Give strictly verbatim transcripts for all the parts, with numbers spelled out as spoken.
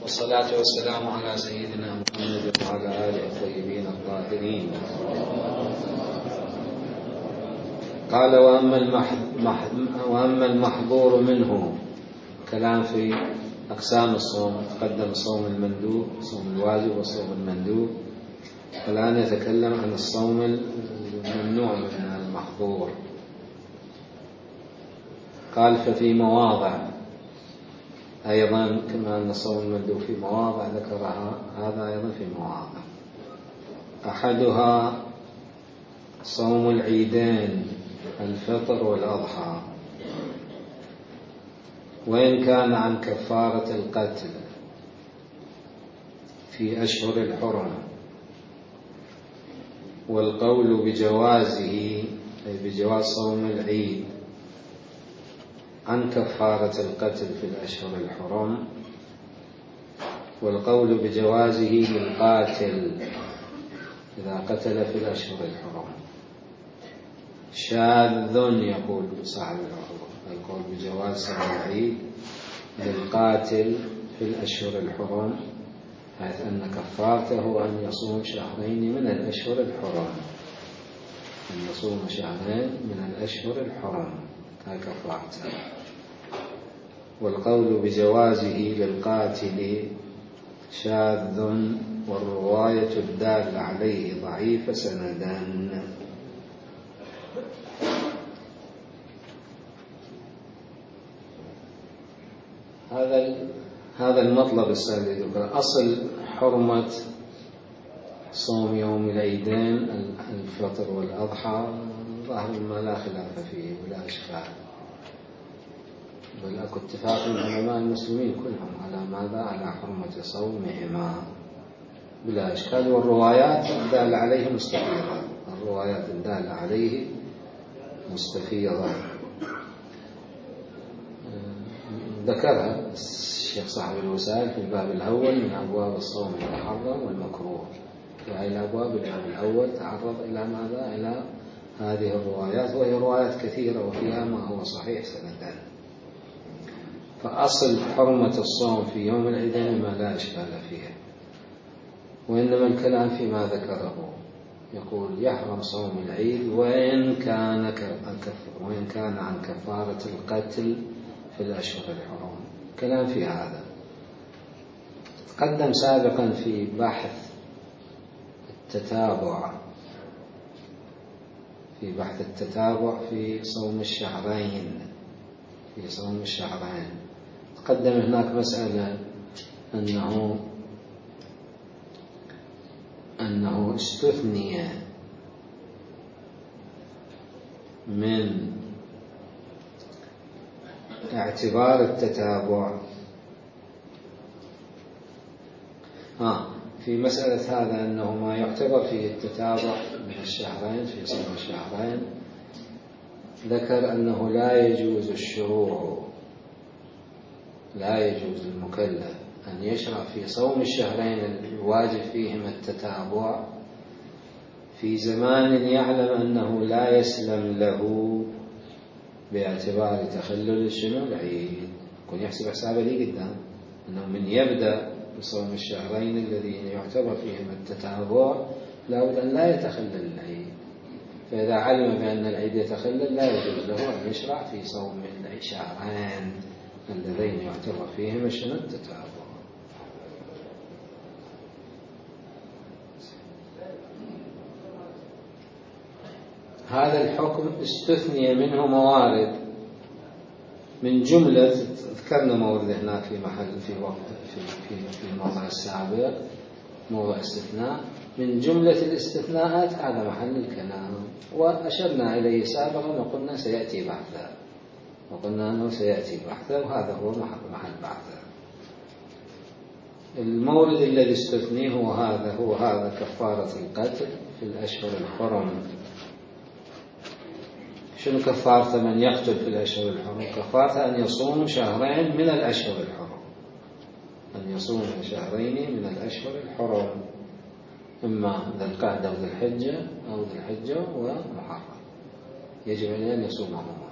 والصلاة والسلام على سيدنا محمد وعلى آله الطيبين الطاهرين. قال وأما, المح... وأما المحظور منه، كلام في أقسام الصوم. تقدم الصوم المندوب، الصوم الواجب والصوم المندوب، الآن يتكلم عن الصوم الممنوع من المحظور. قال ففي مواضع أيضا، كما أن الصوم المندوب في مواضع ذكرها، هذا أيضا في مواضع. أحدها صوم العيدين، الفطر والأضحى، وإن كان عن كفارة القتل في أشهر الحرم، والقول بجوازه أي بجواز صوم العيد عن كفارة القتل في الأشهر الحرم، والقول بجوازه للقاتل إذا قتل في الأشهر الحرم شاذ. يقول صاحب العروة القول بجواز صوم العيد للقاتل في الأشهر الحرم، حيث أن كفارته أن يصوم شهرين من الأشهر الحرم، أن يصوم شهرين من الأشهر الحرم، هاي كفارته. والقول بجوازه للقاتل شاذ، والرواية الدالة عليه ضعيفة سندا. هذا هذا المطلب السادس. أصل حرمة صوم يوم العيدين الفطر والأضحى ظاهر ما لا خلاف فيه ولا إشكال، بل أكو اتفاق من علماء المسلمين كلهم على ماذا؟ على حرمة صومهما بلا إشكال. والروايات الدالة عليه مستفيضة، الروايات الدالة عليه مستفيضة ذكرها الشيخ صاحب الوسائل في الباب الأول من أبواب الصوم المحرم والمكروه. في هذه الأبواب الباب الأول تعرض إلى ماذا؟ إلى هذه الروايات، وهي روايات كثيرة وفيها ما هو صحيح سندا. فأصل حرمة الصوم في يوم العيدين ما لا إشكال فيه، وإنما الكلام فيما ذكره. يقول يحرم صوم العيد وإن كان وإن كان عن كفارة القتل في الأشهر الحرم. كلام في هذا تقدم سابقا في بحث التتابع، في بحث التتابع في صوم الشهرين، في صوم الشهرين تقدم هناك مسألة أنه أنه استثني من اعتبار التتابع آه في مسألة هذا أنه ما يعتبر فيه التتابع من الشهرين في صوم الشهرين، ذكر أنه لا يجوز الشروع، لا يجوز المكلف أن يشرع في صوم الشهرين الواجب فيهما التتابع في زمان يعلم أنه لا يسلم له باعتبار تخلل شنو العيد. يكون يحسب حسابه لي قدام أنه من يبدأ بصوم الشهرين الذين يعتبر فيهما التتابع لابد أن لا يتخلل العيد، فإذا علم بأن العيد يتخلل لا يجوز له أن يشرع في صوم الشهرين اللذين يعتبر فيهما شنو التتابع. هذا الحكم استثني منه موارد، من جملة ذكرنا مورد هناك في محل في وقت في في في الموضع السابق موضع استثناء، من جملة الاستثناءات هذا محل الكلام، وأشرنا إليه سابقا وقلنا سيأتي بحثا، وقلنا أنه سيأتي بحثا، وهذا هو محل بحثا. المورد الذي استثنيه هو هذا هو هذا كفارة القتل في الأشهر الحرم. شنو كفارة من يقتل في الأشهر الحرم؟ كفارة أن يصوم شهرين من الأشهر الحرم، أن يصوم شهرين من الأشهر الحرم، إما ذي القعدة وذي الحجة أو ذي الحجة ومحرم، يجب أن يصومهما.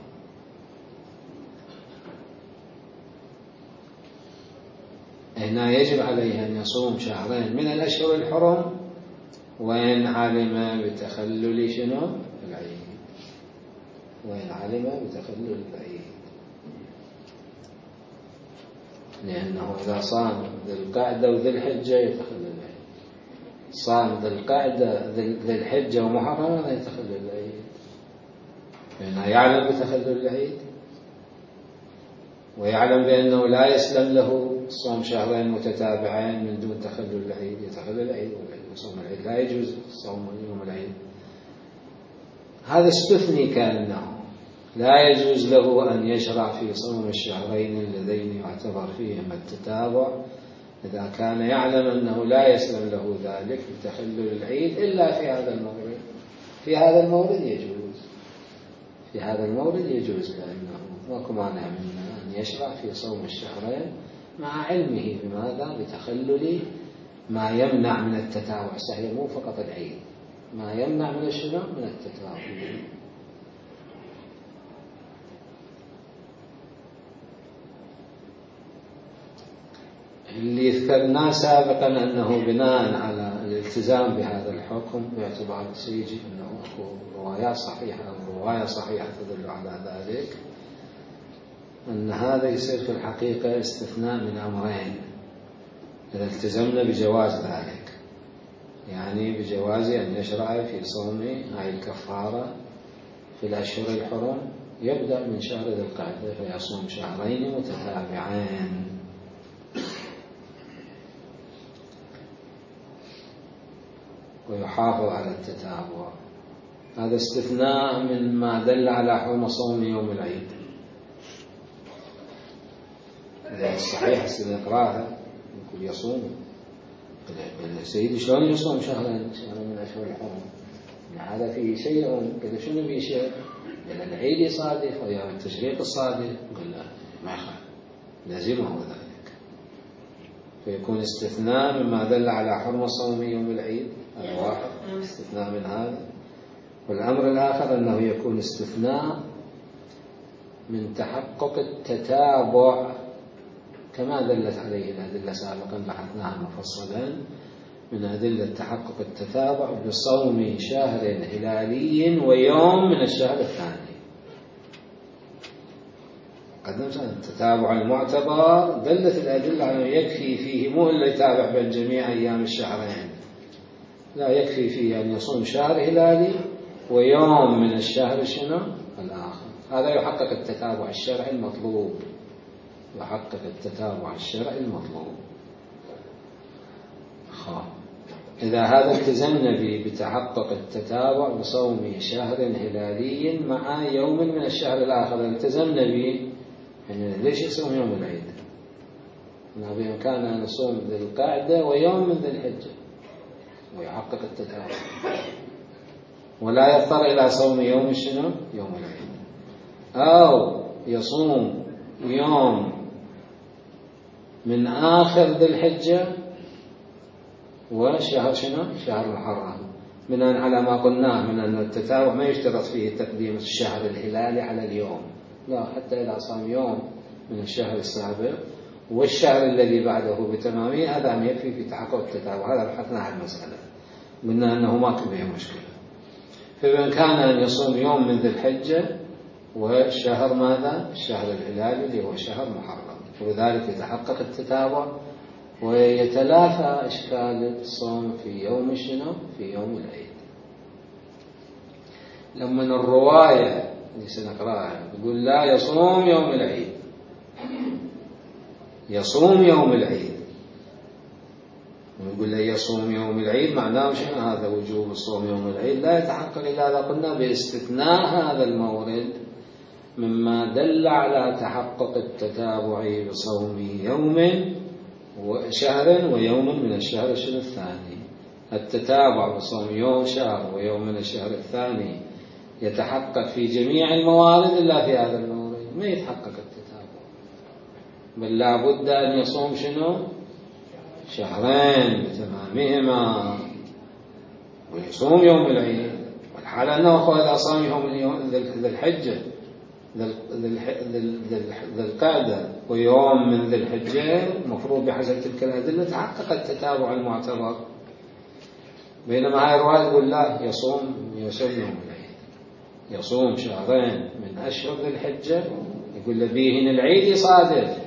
هنا يجب عليه أن يصوم شهرين من الأشهر الحرم وإن علم بتخلل شنو العيد، وإن علم بتخلل العيد، لأنه إذا صام ذي القعدة وذي الحجة يتخلل العيد، صام ذي القعدة ذي الحجة ومحرم لا يتخلل العيد، لأنه يعلم بتخلل العيد ويعلم بأنه لا يسلم له صوم شهرين متتابعين من دون تخلل العيد، يتخلل العيد وصوم العيد لا يجوز صوم يوم العيد. هذا استثني كأنه لا يجوز له أن يشرع في صوم الشهرين اللذين يعتبر فيهما التتابع إذا كان يعلم أنه لا يسلم له ذلك بتخلل العيد إلا في هذا المورد. في هذا المورد يجوز، في هذا المورد يجوز، لأنه ماكو مانع منه أن يشرع في صوم الشهرين مع علمه بماذا؟ بتخلل ما يمنع من التتابع. صحيح مو فقط العيد، ما يمنع من الشنو؟ من التتابع. اللي ذكرناه سابقا أنه بناء على الالتزام بهذا الحكم باعتبار سيجي أنه أكو روايات صحيحة أو رواية صحيحة تدل على ذلك، أن هذا يصير في الحقيقة استثناء من أمرين إذا التزمنا بجواز ذلك، يعني بجواز أن يشرع في صوم هاي الكفارة في الأشهر الحرم يبدأ من شهر ذي القعدة فيصوم شهرين متتابعين، ويحافظ على التتابع. هذا استثناء من ما دل على حرمة صوم يوم العيد. الصحيح سنقراها يقول يصوم سيدي شلون يصوم شهرين شهرين من أشهر الحرم؟ هذا فيه شيء كذا. شنو فيه شيء؟ لأن العيد يصادف ويوم التشريق الصادف. قال لا ما يخالف، لازمه ذلك، فيكون استثناء مما دل على حرمة صوم يوم العيد. هذا واحد استثناء من هذا. والأمر الآخر أنه يكون استثناء من تحقق التتابع كما دلت عليه الأدلة سابقا بحثناها مفصلا، من أدلة تحقق التتابع بصوم شهر هلالي ويوم من الشهر الثاني. قدمت التتابع المعتبر دلت الأدلة على أنه يكفي فيه مو إلا يتابع بين جميع أيام الشهرين، لا يكفي فيه أن يصوم شهر هلالي ويوم من الشهر شنو الآخر. هذا يحقق التتابع الشرعي المطلوب، يحقق التتابع الشرعي المطلوب. خاء. إذا هذا التزمنا به بتحقق التتابع بصوم شهر هلالي مع يوم من الشهر الآخر التزمنا به، يعني ليش يصوم يوم العيد؟ بإمكاننا أن نصوم ذي القعدة ويوم من ذي الحجة ويحقق التتابع، ولا يضطر إلى صوم يوم شنو يوم العيد، أو يصوم يوم من آخر ذي الحجة وشهر شنو شهر محرم، بناء على ما قلناه من أن التتابع ما يشترط فيه تقديم الشهر الهلالي على اليوم، لا، حتى إذا صام يوم من الشهر السابق والشهر الذي بعده بتمامه هذا يكفي في تحقق التتابع. هذا بحثنا عن المسألة، قلنا أنه ما كان به مشكلة. فإن كان أن يصوم يوم من ذي الحجة وشهر ماذا الشهر الهلالي اللي هو شهر محرم، ولذلك يتحقق التتابع ويتلافى إشكال الصوم في يوم شنو في يوم العيد. لما الرواية اللي سنقرأها يقول لا يصوم يوم العيد، يصوم يوم العيد، ونقول لا يصوم يوم العيد معناه شنو هذا وجوب الصوم يوم العيد لا يتحقق إلا إذا قلنا باستثناء هذا المورد مما دل على تحقق التتابع بصوم يوم وشهر ويوم من الشهر الثاني. التتابع بصوم يوم شهر ويوم من الشهر الثاني يتحقق في جميع الموارد إلا في هذا المورد ما يتحقق التتابع، بل لا بد أن يصوم شنو شهرين بتمامهما ويصوم يوم العيد، والحال أنه إذا صام يوم ذي الحجة ذي القعدة ويوم من ذي الحجة، مفروض بحسب تلك الأدلة تحقق التتابع المعتبر. بينما هاي الرواية تقول لا، يصوم يصوم يوم العيد، يصوم شهرين من أشهر ذي الحجة، يقول له بيهن العيد يصادف،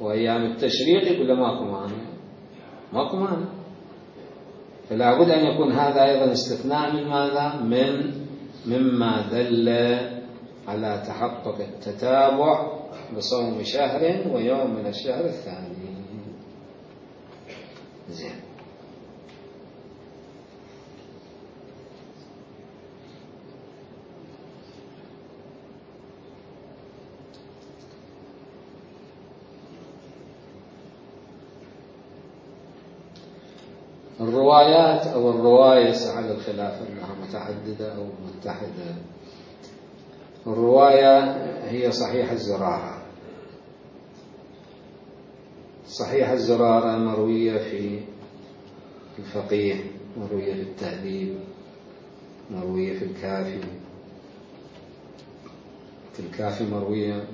وأيام التشريق يقول له ماكو مانع، ماكو مانع. فلا بد أن يكون هذا أيضا استثناء من ماذا؟ من مما دل على تحقق التتابع بصوم شهر ويوم من الشهر الثاني. زين. الروايات أو الرواية على الخلاف أنها متعددة أو متحدة. الرواية هي صحيح الزرارة. صحيح الزرارة مروية في الفقيه، مروية في التهذيب، مروية في الكافي. في الكافي مروية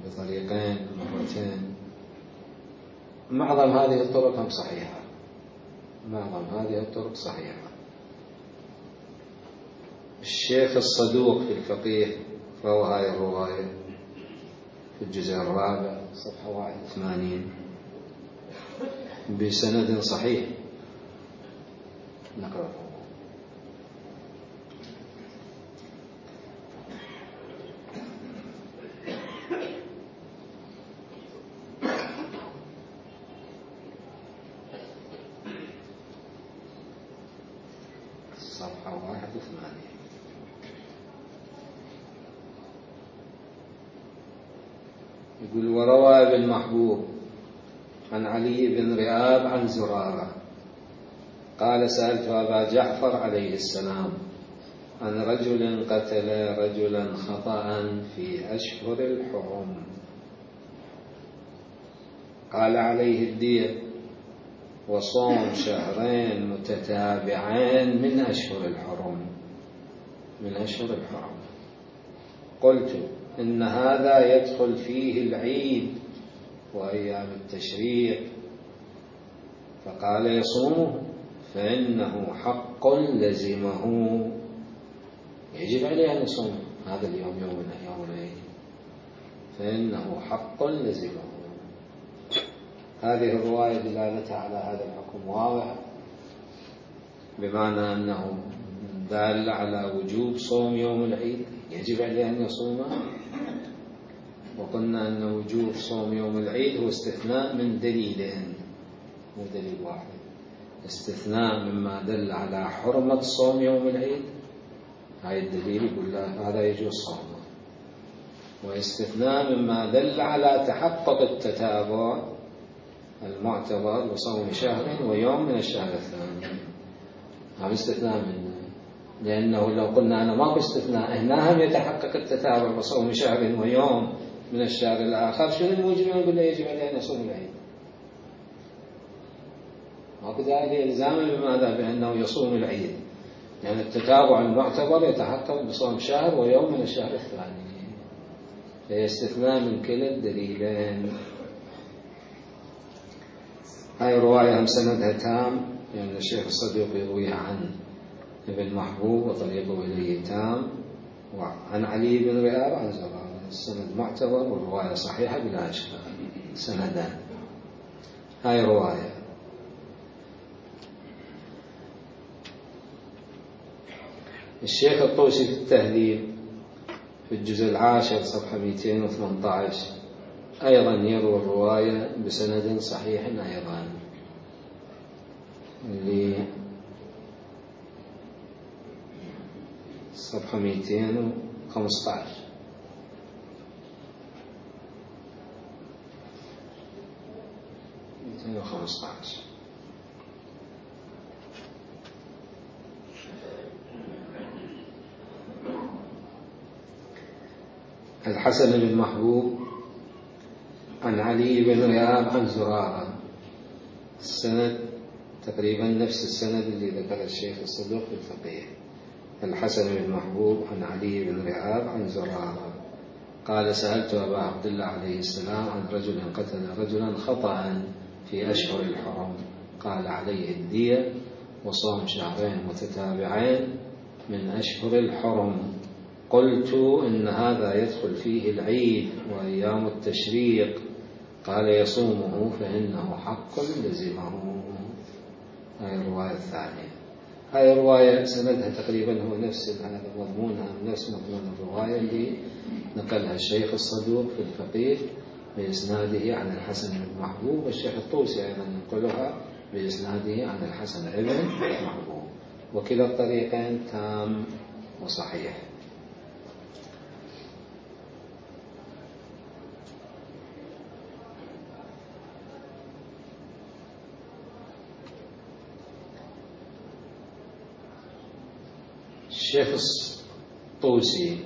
بطريقين مرتين. معظم هذه الطرق هم صحيحة، معظم هذه الطرق صحيحة. الشيخ الصدوق في الفقيه روى هذه الرواية في الجزء الرابع صفحة واحد وثمانين بسند صحيح. نقرأ. صفحة واحد وثمانين. يقول: وروى ابن محبوب عن علي بن رئاب عن زرارة قال: سألت أبا جعفر عليه السلام عن رجل قتل رجلا خطأ في أشهر الحرم، قال: عليه الدية وصوم شهرين متتابعين من أشهر الحرم من أشهر الحرم. قلت: إن هذا يدخل فيه العيد وأيام التشريق. فقال: يصومه فإنه حق لزمه، يجب عليه أن يصوم هذا اليوم يوم من أيام العيد، فإنه حق لزمه. هذه الرواية دلالتها على هذا الحكم واضح، بمعنى أنه دال على وجوب صوم يوم العيد، يجب عليه أن يصومه. وقلنا أن وجوب صوم يوم العيد هو استثناء من دليلين، مو دليل واحد، استثناء مما دل على حرمة صوم يوم العيد، هاي الدليل يقول له هذا يجوز صومه، واستثناء مما دل على تحقق التتابع المعتبر بصوم شهر ويوم من الشهر الثاني. هذا استثناء منه، لأنه لو قلنا أنا ماكو استثناء هنا هم يتحقق التتابع بصوم شهر ويوم من الشهر الآخر، شنو الموجب يقول له يجب عليه أن يصوم العيد؟ ماكو داعي إلزامه بماذا؟ بأنه يصوم العيد، لأن يعني التتابع المعتبر يتحقق بصوم شهر ويوم من الشهر الثاني، فهي استثناء من كلا الدليلين. هاي الرواية هم سندها تام، يعني الشيخ الصدوق يرويها عن ابن محبوب وطريقه إليه تام، وعن علي بن رئاب عن زرارة، السند معتبر والرواية صحيحة بلا إشكال، سندان. هاي رواية. الشيخ الطوسي في التهذيب في الجزء العاشر صفحة مئتين وثمانية عشر أيضا يروي الرواية بسند صحيح أيضا، اللي صفحة مئتين وخمسة عشر. مئتين وخمسة عشر. الحسن بن محبوب عن علي بن رئاب عن زرارة، السند تقريبا نفس السند اللي ذكر الشيخ الصدوق في الفقيه. الحسن بن محبوب عن علي بن رئاب عن زرارة قال سألت أبا عبد الله عليه السلام عن رجل قتل رجلا خطأ في أشهر الحرم، قال عليه الدية وصوم شهرين متتابعين من أشهر الحرم. قلت إن هذا يدخل فيه العيد وأيام التشريق، قال يصومه فإنه حق لزمه. هاي الرواية الثانية. هاي الرواية سندها تقريبا هو نفس هذا مضمونها نفس مضمون الرواية اللي نقلها الشيخ الصدوق في الفقيه بإسناده عن الحسن بن محبوب، والشيخ الطوسي أيضا ينقلها بإسناده عن الحسن بن محبوب، وكلا الطريقين تام وصحيح. الشيخ الطوسي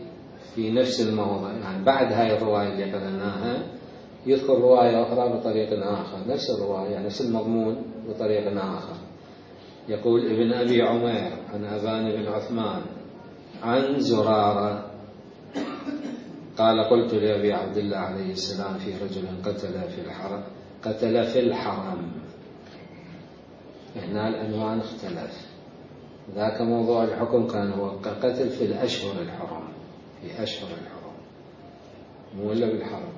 في نفس الموضع، يعني بعد هاي الرواية اللي قرأناها يذكر رواية أخرى بطريق آخر، نفس الرواية يعني نفس المضمون بطريق آخر. يقول ابن أبي عمير عن أبان بن عثمان عن زرارة قال قلت لأبي عبد الله عليه السلام في رجل قتل في الحرم قتل في الحرم. هنا العنوان اختلف، ذاك موضوع الحكم كان هو قتل في الأشهر الحرم، في أشهر الحرم مو إلا بالحرم.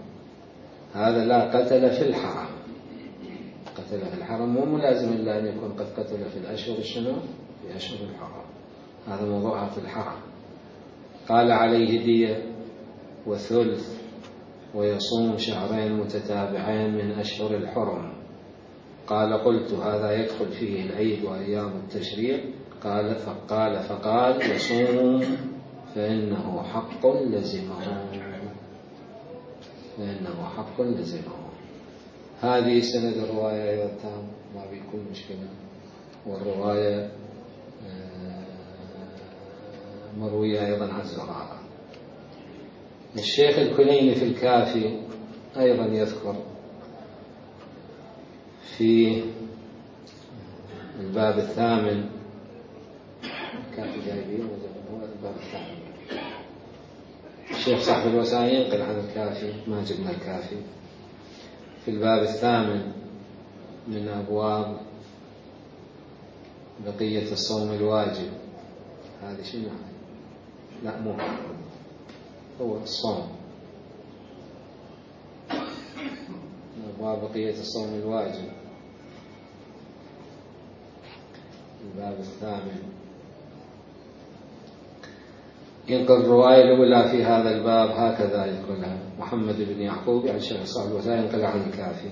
هذا لا، قتل في الحرم. قتل في الحرم مو ملازم إلا أن يكون قد قتل في الأشهر الشنو؟ في أشهر الحرم. هذا موضوعها في الحرم. قال عليه دية وثلث ويصوم شهرين متتابعين من أشهر الحرم. قال قلت هذا يدخل فيه العيد وأيام التشريق؟ قال فقال فقال يصوم فإنه حق لزمه، فإنه حق لزمه. هذه سند الرواية أيضا تام، ما بيكون مشكلة. والرواية مروية أيضا عن زرارة. الشيخ الكليني في الكافي أيضا يذكر في الباب الثامن، الكافي جايبين هو الباب الثامن. الشيخ صاحب الوسائل ينقل عن الكافي، ما جبنا الكافي. في الباب الثامن من أبواب بقية الصوم الواجب، هذه شنو؟ لا مو هو الصوم، أبواب بقية الصوم الواجب، الباب الثامن. ينقل الرواية الأولى في هذا الباب هكذا يقولها محمد بن يعقوب عن شيخ صاحب الوسائل ينقل عن الكافي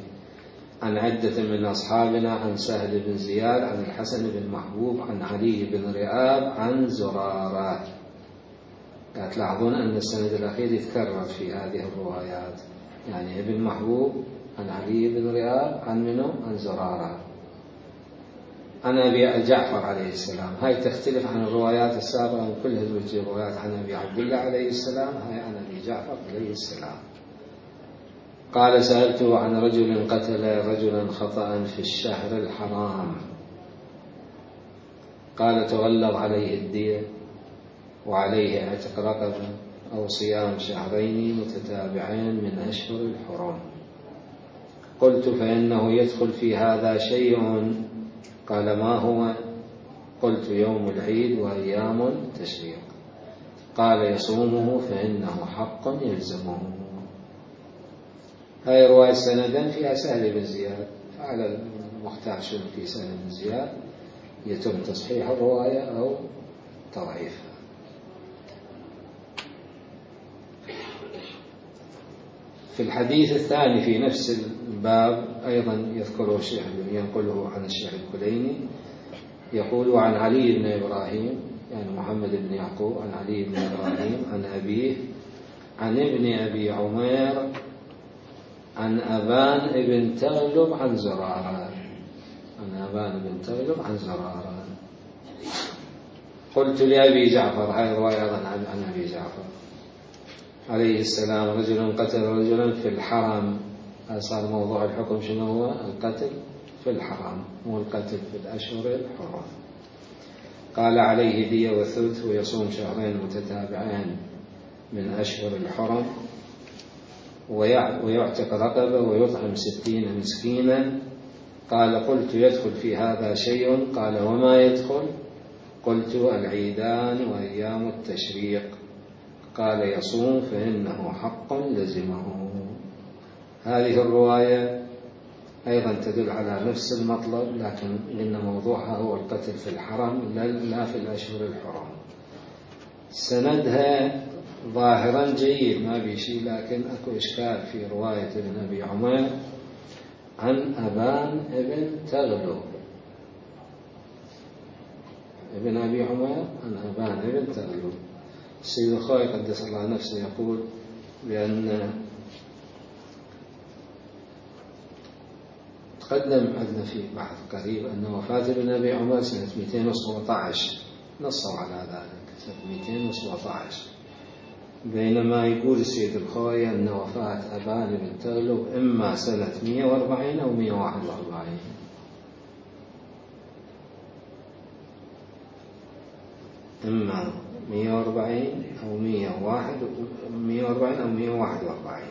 عن عدة من أصحابنا عن سهل بن زياد عن الحسن بن محبوب عن علي بن رئاب عن زرارة. تلاحظون أن السند الأخير يتكرر في هذه الروايات، يعني ابن محبوب عن علي بن رئاب عن منه عن زرارة عن أبي جعفر عليه السلام. هاي تختلف عن الروايات السابقة، من كل هذه الروايات عن أبي عبد الله عليه السلام، هاي عن أبي جعفر عليه السلام. قال سألته عن رجل قتل رجلا خطأ في الشهر الحرام، قال تغلظ عليه الدية وعليه اعتق رقبة أو صيام شهرين متتابعين من أشهر الحرم. قلت فإنه يدخل في هذا شيء؟ قال ما هو؟ قلت يوم العيد وأيام التشريق. قال يصومه فإنه حق يلزمه. هاي رواية سندا فيها سهل بن زياد، فعلى المختار شنو في سهل بن زياد يتم تصحيح الرواية أو تضعيفها. في الحديث الثاني في نفس الباب أيضا يذكره الشيخ ينقله عن الشيخ الكليني، يقول عن علي بن إبراهيم يعني محمد بن يعقوب عن علي بن إبراهيم عن أبيه عن ابن أبي عمير عن أبان بن تغلب عن زرارة، عن أبان بن تغلب عن زرارة. قلت لأبي جعفر، هذه رواية أيضا عن أبي جعفر عليه السلام، رجل قتل رجلا في الحرم. صار موضوع الحكم شنو هو؟ القتل في الحرم، مو القتل في الأشهر الحرم. قال عليه دية وثلث ويصوم شهرين متتابعين من أشهر الحرم. ويعتق رقبة ويطعم ستين مسكينا. قال قلت يدخل في هذا شيء؟ قال وما يدخل؟ قلت العيدان وأيام التشريق. قال يصوم فإنه حق لزمه. هذه الرواية أيضا تدل على نفس المطلب، لكن إن موضوعها هو القتل في الحرم لا في الأشهر الحرم. سندها ظاهرا جيد ما بيشي، لكن أكو إشكال في رواية ابن أبي عمر عن أبان ابن تغلب. ابن أبي عمر عن أبان ابن تغلب. السيد الخوئي قدس الله نفسه يقول بأن تقدم عندنا في بحث قريب أن وفاة ابن أبي عمر سنة مئتين وسبعة عشر، نصوا على ذلك سنة مئتين وسبعة عشر، بينما يقول السيد الخوئي أن وفاة أبان بن تغلب إما سنة مئة وأربعين أو مئة وواحد وأربعين. إما مئة وأربعين أو مئة وواحد مئة وأربعين أو مئة وواحد وأربعين.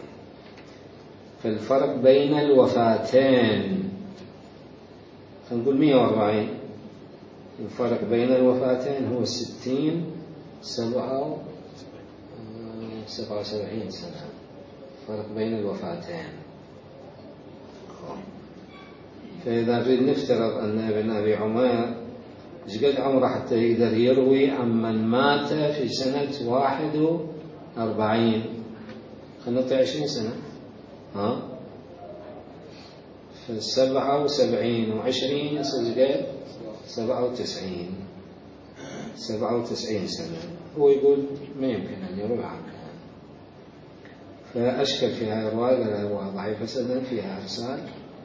فالفرق بين الوفاتين خلينا نقول مئة وأربعين، الفرق بين الوفاتين هو ستين سبعة سبعة وسبعين سنة، فرق بين الوفاتين. فإذا نريد نفترض أن ابن أبي عمر جقد عمره حتى يقدر يروي عمن مات في سنة واحد وأربعين، خلينا نطيع عشرين سنة، ها فالسبعة وسبعين وعشرين يصير سبعة وتسعين سبعة وتسعين سنة. هو يقول ما يمكن أن يروي عنه، فأشكل في هذه الرواية لا رواية ضعيفة سنة فيها إرسال،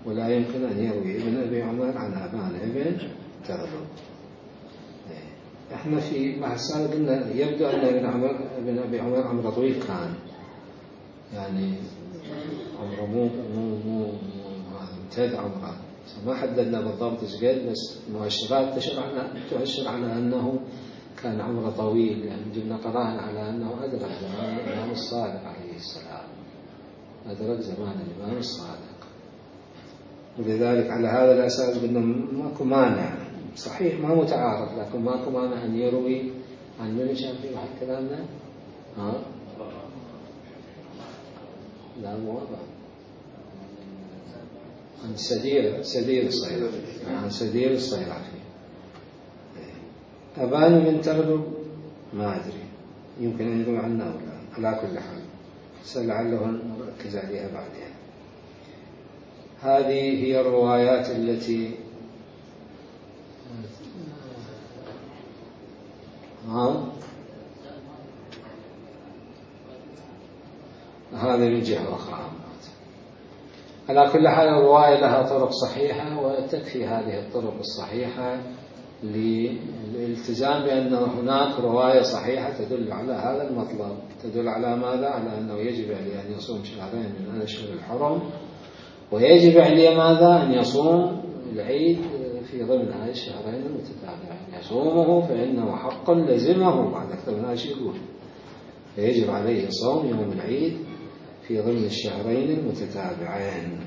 ولا يمكن أن يروي ابن أبي عمر عن أبان ابن تغلب. احنا في بحث سابق قلنا يبدو أن ابن عمر ابن أبي عمر عمره طويل كان، يعني عمره مو مو مو امتد عمره، ما حددنا بالضبط ايش قد، بس مؤشرات تشير على تؤشر على أنه كان عمره طويل، يعني جبنا قرائن على أنه أدرك زمان الإمام الصادق عليه السلام، أدرك زمان الإمام الصادق. ولذلك على هذا الأساس قلنا ماكو مانع، صحيح ما متعارض، لكن ماكو مانع أن يروي عن من شان في واحد كلامنا ها لا مو عن سدير سدير الصيرفي، عن سدير الصيرفي. أبان بن تغلب ما أدري، يمكن أن يروي عنه أو لا، على كل حال سلعله نركز عليها بعدين. هذه هي الروايات التي ها هذه من جهة أخرى. على كل حال الرواية لها طرق صحيحة، وتكفي هذه الطرق الصحيحة للالتزام بأن هناك رواية صحيحة تدل على هذا المطلب. تدل على ماذا؟ على أنه يجب عليه أن يصوم شهرين من الأشهر الحرم، ويجب عليه ماذا؟ أن يصوم العيد في ضمن هذه الشهرين المتتابعين. يصومه فإنه حق لزمه، بعد أكثر من هذا يقول فيجب عليه صوم يوم العيد في ضمن الشهرين المتتابعين.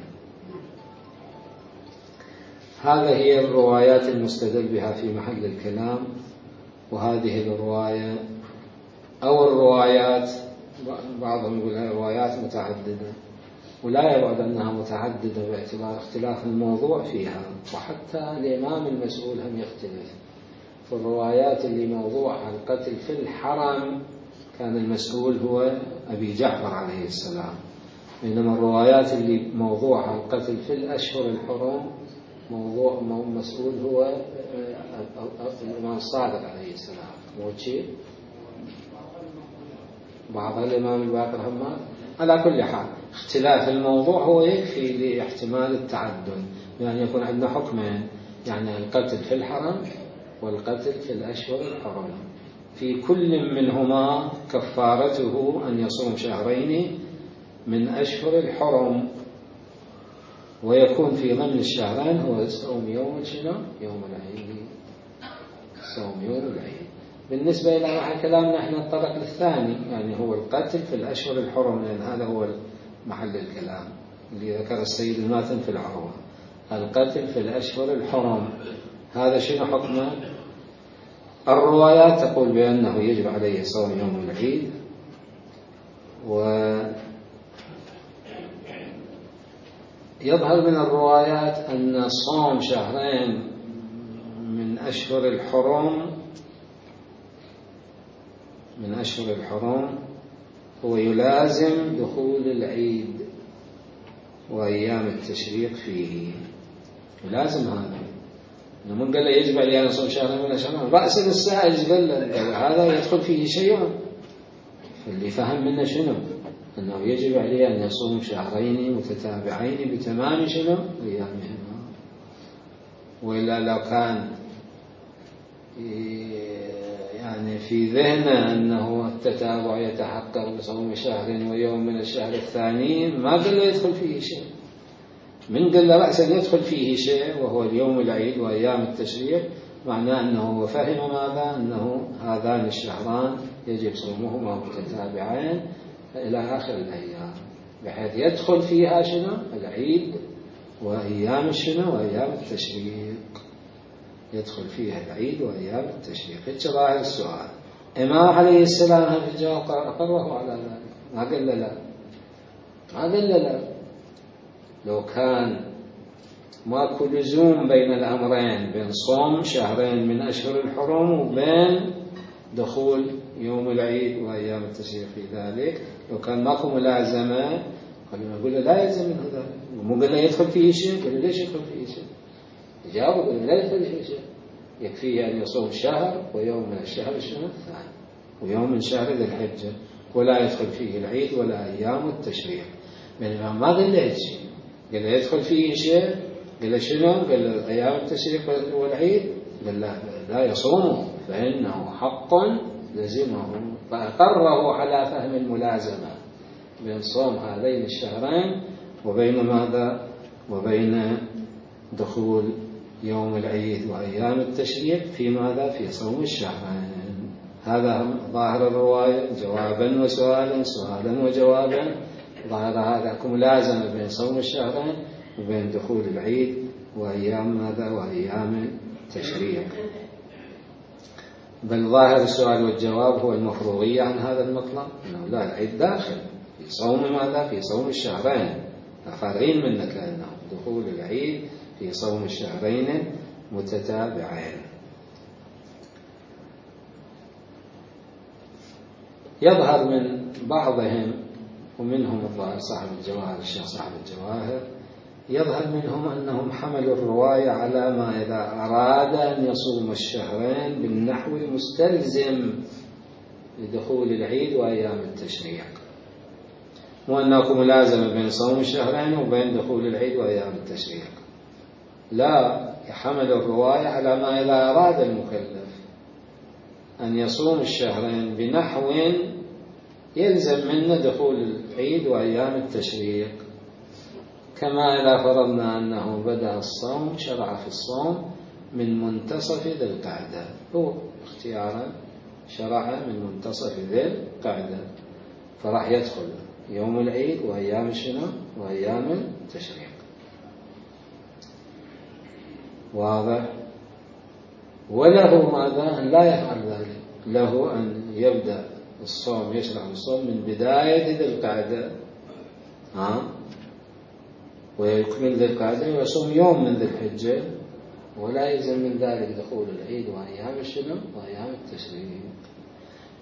هذا هي الروايات المستدل بها في محل الكلام. وهذه الرواية أو الروايات بعضهم يقول هي روايات متعددة، ولا يبعد أنها متعددة باعتبار اختلاف الموضوع فيها، وحتى الإمام المسؤول هم يختلف. في الروايات اللي موضوعها القتل في الحرم كان المسؤول هو أبي جعفر عليه السلام، بينما الروايات اللي موضوعها القتل في الأشهر الحرم موضوع مسؤول هو الإمام الصادق عليه السلام. موجه بعض الإمام الباقر همات. على كل حال اختلاف الموضوع هو يكفي لاحتمال التعدد، يعني يكون عندنا حكمين، يعني القتل في الحرم والقتل في الأشهر الحرم، في كل منهما كفارته أن يصوم شهرين من أشهر الحرم، ويكون في ضمن الشهرين هو صوم يوم شنو؟ يوم العيد، صوم يوم العيد. بالنسبة إلى كلامنا احنا الطرق الثاني، يعني هو القتل في الأشهر الحرم، لأن هذا هو محل الكلام اللي ذكر السيد الماتن في العروة، القتل في الأشهر الحرم هذا شنو حكمه؟ الروايات تقول بأنه يجب عليه صوم يوم العيد، ويظهر من الروايات أن صوم شهرين من أشهر الحرم من أشهر الحرم هو يلازم دخول العيد وأيام التشريق فيه، يلازم هذا. من قال له يجب عليه أن يصوم شهرين من أشهر رأس السائل قال له هذا يدخل فيه شيء، اللي فهم منه شنو؟ أنه يجب عليه أن يصوم شهرين متتابعين بتمام شنو؟ أيامهما. وإلا لو كان يعني في ذهنه أنه التتابع يتحقق بصوم شهر ويوم من الشهر الثاني ما قال له يدخل فيه شيء. من قال له رأسا يدخل فيه شيء وهو اليوم العيد وأيام التشريق، معناه أنه فهم ماذا؟ أنه هذان الشهران يجب صومهما متتابعين إلى آخر الأيام، بحيث يدخل فيها شنو؟ العيد وأيام شنو؟ وأيام التشريق، يدخل فيها العيد وأيام التشريق. هيك ظاهر السؤال. إمام عليه السلام هم في الجواب أقره على ذلك، ما قال له لا، ما قال له لا. لو كان ماكو لزوم بين الأمرين، بين صوم شهرين من أشهر الحرم وبين دخول يوم العيد وأيام التشريق في ذلك، لو كان ماكو ملازمة خلينا نقول له لا يلزم منه ذلك. مو قال له يدخل فيه شيء، قال له ليش يدخل فيه شيء؟ جاوب قال له لا يدخل فيه شيء، يكفيه أن يصوم شهر ويوم من الشهر الشهر الثاني ويوم من شهر ذي الحجة، ولا يدخل فيه العيد ولا أيام التشريق. بينما ما قال له شيء، قال له يدخل فيه شيء، قال له شنو؟ قال له أيام التشريق والعيد، قال لا لا يصومه فإنه حق لزمه، فأقره على فهم الملازمة بين صوم هذين الشهرين وبين ماذا؟ وبين دخول يوم العيد وأيام التشريق في ماذا؟ في صوم الشهرين. هذا ظاهر الرواية، جوابا وسؤالا، سؤالا وجوابا. ظاهر هذا ملازمة بين صوم الشهرين وبين دخول العيد وأيام ماذا؟ وأيام التشريق. بل ظاهر السؤال والجواب هو المفروضية عن هذا المطلب، أنه لا، العيد داخل في صوم ماذا؟ في صوم الشهرين، فارغين منك لأنه دخول العيد في صوم الشهرين متتابعين. يظهر من بعضهم ومنهم الظاهر صاحب الجواهر، الشيخ صاحب الجواهر، يظهر منهم أنهم حملوا الرواية على ما إذا أراد أن يصوم الشهرين بالنحو مستلزم لدخول العيد وأيام التشريق، وأنه ملازمة بين صوم الشهرين وبين دخول العيد وأيام التشريق. لا، يحمل الرواية على ما إذا أراد المكلف أن يصوم الشهرين بنحو يلزم منه دخول العيد وأيام التشريق، كما إذا فرضنا أنه بدأ الصوم، شرع في الصوم من منتصف ذي القعدة، هو اختيارا شرع من منتصف ذي القعدة، فراح يدخل يوم العيد وأيام شنو؟ وأيام التشريق. واضح؟ وله ماذا؟ أن لا يفعل ذلك، له أن يبدأ الصوم، يشرع الصوم من بداية ذي القعدة ها ويكمل ذي القعدة ويصوم يوم من ذي الحجة، ولا يلزم من ذلك دخول العيد وأيام شنو؟ وأيام التشريق.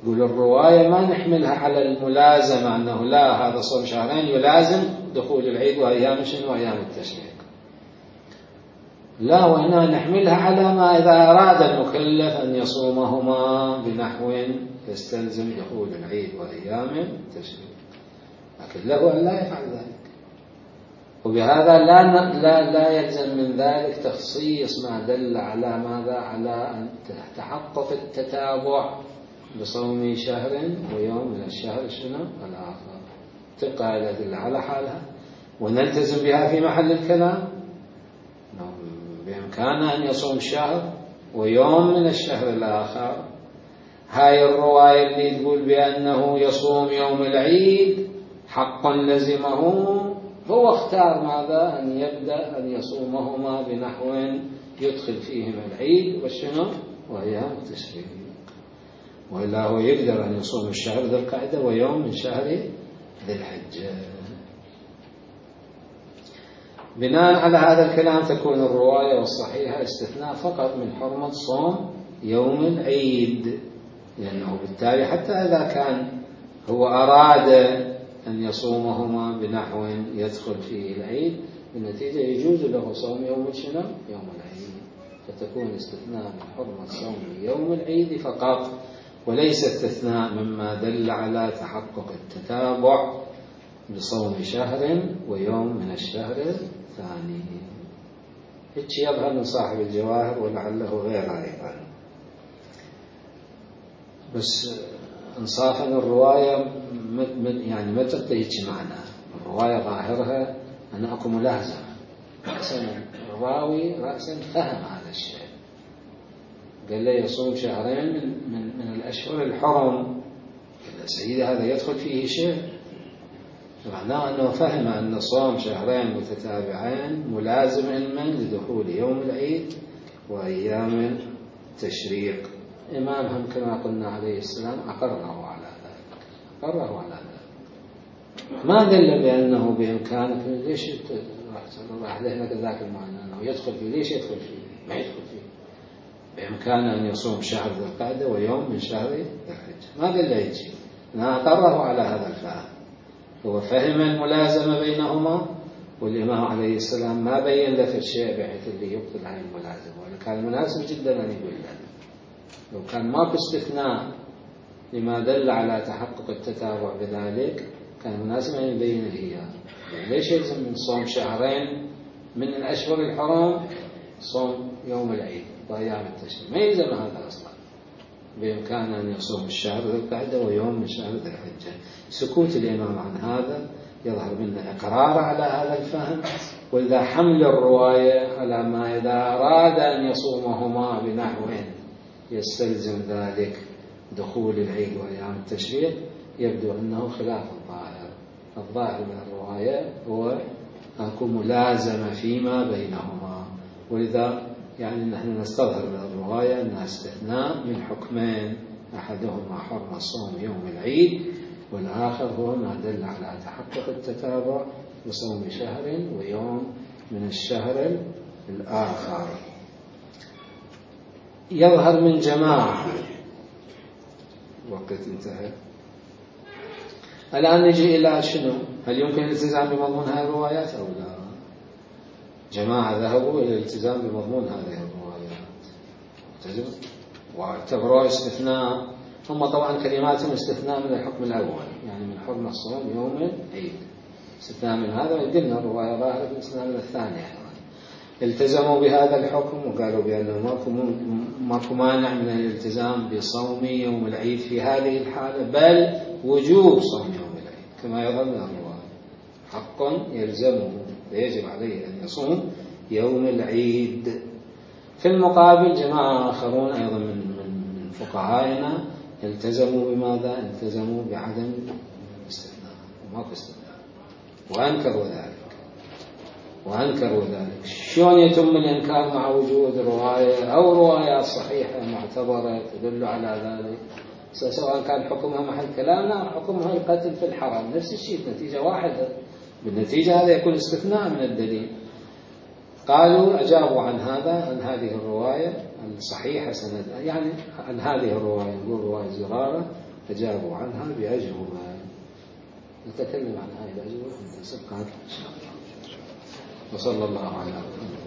يقول الرواية ما نحملها على الملازمة أنه لا، هذا صوم شهرين يلازم دخول العيد وأيام شنو؟ وأيام التشريق. لا، وهنا نحملها على ما إذا أراد المكلف أن يصومهما بنحو يستلزم دخول العيد وأيام التشريق، لكن له أن لا يفعل ذلك. وبهذا لا لا لا يلزم من ذلك تخصيص ما دل على ماذا؟ على أن تحقق التتابع بصوم شهر ويوم من الشهر شنو؟ الآخر. تبقى الأدلة على حالها ونلتزم بها في محل الكلام. بإمكانه أن يصوم شهر ويوم من الشهر الآخر. هاي الرواية اللي تقول بأنه يصوم يوم العيد حق لزمه، هو اختار ماذا؟ أن يبدأ أن يصومهما بنحو يدخل فيهما العيد والشنو وأيام التشريق، وإلا هو يقدر أن يصوم الشهر ذي القعدة ويوم من شهر ذي الحجة. بناء على هذا الكلام تكون الرواية والصحيحة استثناء فقط من حرمة صوم يوم العيد، لأنه بالتالي حتى إذا كان هو أراد أن يصومهما بنحو يدخل فيه العيد، بالنتيجة يجوز له صوم يوم شنو؟ يوم العيد، فتكون استثناء من حرمة صوم يوم العيد فقط، وليس استثناء مما دل على تحقق التتابع بصوم شهر ويوم من الشهر الثاني. هيك يظهر من صاحب الجواهر ولعله غير أيضا. بس انصافا الرواية يعني ما تعطي هيك معنى، الرواية ظاهرها أن أكو ملازمة، رأسا الراوي رأسا فهم هذا الشيء، قال له يصوم شهرين من, من, من الأشهر الحرم، قال سيدي هذا يدخل فيه شيء، معناه أنه فهم أن صوم شهرين متتابعين ملازم علما لدخول يوم العيد وأيام التشريق. إمامهم كما قلنا عليه السلام أقره على ذلك، أقره على ذلك، ما دل بأنه بإمكانه. ليش راح لهنك ذاك المعنى أنه يدخل فيه؟ ليش يدخل فيه؟ ما يدخل فيه، بإمكانه أن يصوم شهر ذي القعدة ويوم من شهر ذي الحجة، ما دل يجي، أنا أقره على هذا الفهم. هو فهم الملازمة بينهما، والإمام عليه السلام ما بين له في الشيء بحيث اللي يبطل هذه الملازمة، وكان مناسب جدا أن يقول لنا. لو كان ماكو استثناء لما دل على تحقق التتابع بذلك كان مناسب أن يبين هي يعني ليش يلزم من صوم شهرين من الأشهر الحرام صوم يوم العيد وأيام التشريق، ما يلزم هذا أصلا، بإمكان أن يصوم الشهر ذي القعدة ويوم من شهر ذي الحجة. سكوت الإمام عن هذا يظهر منه إقرار على هذا الفهم، وإذا حمل الرواية على ما إذا أراد أن يصومهما بنحو يستلزم ذلك دخول العيد وأيام التشريق، يبدو أنه خلاف الظاهر. الظاهر من الرواية هو أكو ملازمة فيما بينهما، ولذا يعني نحن نستظهر من الرواية أنها استثناء من حكمين، أحدهما حرمة صوم يوم العيد، والآخر هو ما دل على تحقق التتابع بصوم شهر ويوم من الشهر الآخر. يظهر من جماعة وقت انتهى. الآن نجي إلى شنو؟ هل يمكن الالتزام بمضمون هذه الروايات أو لا؟ جماعة ذهبوا إلى الالتزام بمضمون هذه الروايات واعتبروا استثناء، هم طبعا كلماتهم استثناء من الحكم الأول، يعني من حرمة الصوم يوم العيد، استثناء من هذا، وقلنا الرواية ظاهرة استثناء من الثانية. التزموا بهذا الحكم وقالوا بأنه ماكو ماكو مانع من الالتزام بصوم يوم العيد في هذه الحالة، بل وجوب صوم يوم العيد كما يظهر من الرواية، حق يلزمه ويجب عليه أن يصوم يوم العيد. في المقابل جماعة آخرون أيضا من من فقهائنا التزموا بماذا؟ التزموا بعدم الاستثناء، وماكو استثناء، وأنكروا ذلك وأنكروا ذلك. شلون يتم الإنكار مع وجود رواية أو روايات صحيحة معتبرة تدل على ذلك، سواء كان حكمها محل كلامنا أو حكمها القتل في الحرم، نفس الشيء، نتيجة واحدة، بالنتيجة هذا يكون استثناء من الدليل. قالوا أجابوا عن هذا، عن هذه الرواية الصحيحة سند، يعني عن هذه الرواية، نقول رواية زرارة، أجابوا عنها بأجوبة. نتكلم عن هذه الأجوبة في الدرس القادم إن شاء الله. وصلى الله على محمد.